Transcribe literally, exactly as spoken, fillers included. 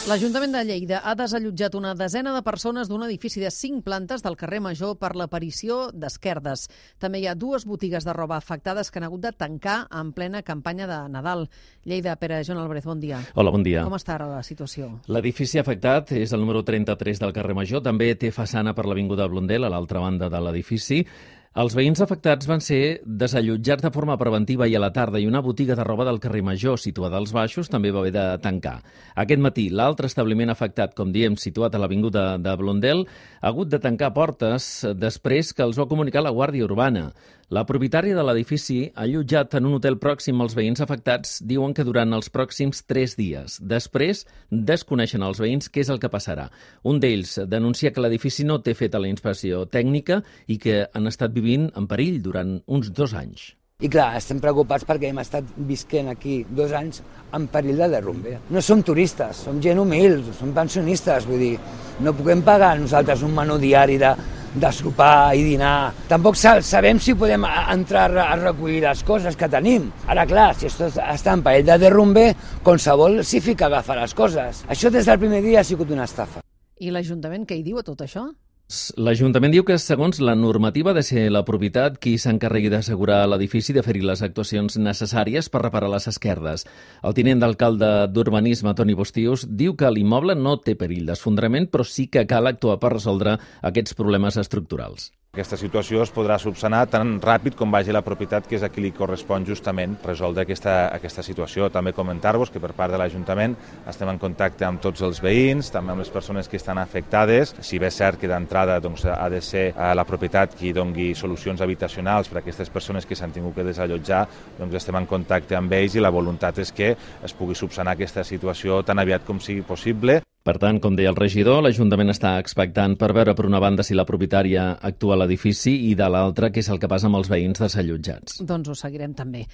L'Ajuntament de Lleida ha desallotjat una desena de persones d'un edifici de cinc plantes del carrer Major per l'aparició d'esquerdes. També hi ha dues botigues de roba afectades que han hagut de tancar en plena campanya de Nadal. Lleida, Pere Joan Álvarez, bon dia. Hola, bon dia. Com està ara la situació? L'edifici afectat és el número trenta-tres del carrer Major. També té façana per l'avinguda Blondel, a l'altra banda de l'edifici. Els veïns afectats van ser desallotjats de forma preventiva i a la tarda, i una botiga de roba del carrer Major, situada als baixos, també va haver de tancar. Aquest matí, l'altre establiment afectat, com diem, situat a l'avinguda de Blondel, ha hagut de tancar portes després que els va comunicar la Guàrdia Urbana. La propietària de l'edifici, allotjat en un hotel pròxim als veïns afectats, diuen que durant els pròxims tres dies. Després, desconeixen els veïns què és el que passarà. Un d'ells denuncia que l'edifici no té feta la inspecció tècnica i que han estat vivint en perill durant uns dos anys. I clar, estem preocupats perquè hem estat visquent aquí dos anys en perill de derrumbe. No som turistes, som gent humil, som pensionistes, vull dir, no puguem pagar nosaltres un menú diari de, de sopar i dinar. Tampoc sabem si podem entrar a recollir les coses que tenim. Ara, clar, si esto està en perill de derrumbe, qualsevol s'hi fica a agafar les coses. Això des del primer dia ha sigut una estafa. I l'Ajuntament què hi diu a tot això? L'Ajuntament diu que, segons la normativa, ha de ser la propietat qui s'encarregui d'assegurar l'edifici i de fer-hi les actuacions necessàries per reparar les esquerdes. El tinent d'alcalde d'Urbanisme, Toni Bostius, diu que l'immoble no té perill d'esfondrament, però sí que cal actuar per resoldre aquests problemes estructurals. Aquesta situació es podrà subsanar tan ràpid com vagi la propietat, que és a qui li correspon justament resoldre aquesta, aquesta situació. També comentar-vos que per part de l'Ajuntament estem en contacte amb tots els veïns, també amb les persones que estan afectades. Si bé és cert que d'entrada doncs, ha de ser la propietat qui doni solucions habitacionals per a aquestes persones que s'han tingut que desallotjar, doncs estem en contacte amb ells i la voluntat és que es pugui subsanar aquesta situació tan aviat com sigui possible. Per tant, com deia el regidor, l'Ajuntament està expectant per veure, per una banda, si la propietària actua a l'edifici i de l'altra, què és el que passa amb els veïns desallotjats. Doncs ho seguirem també.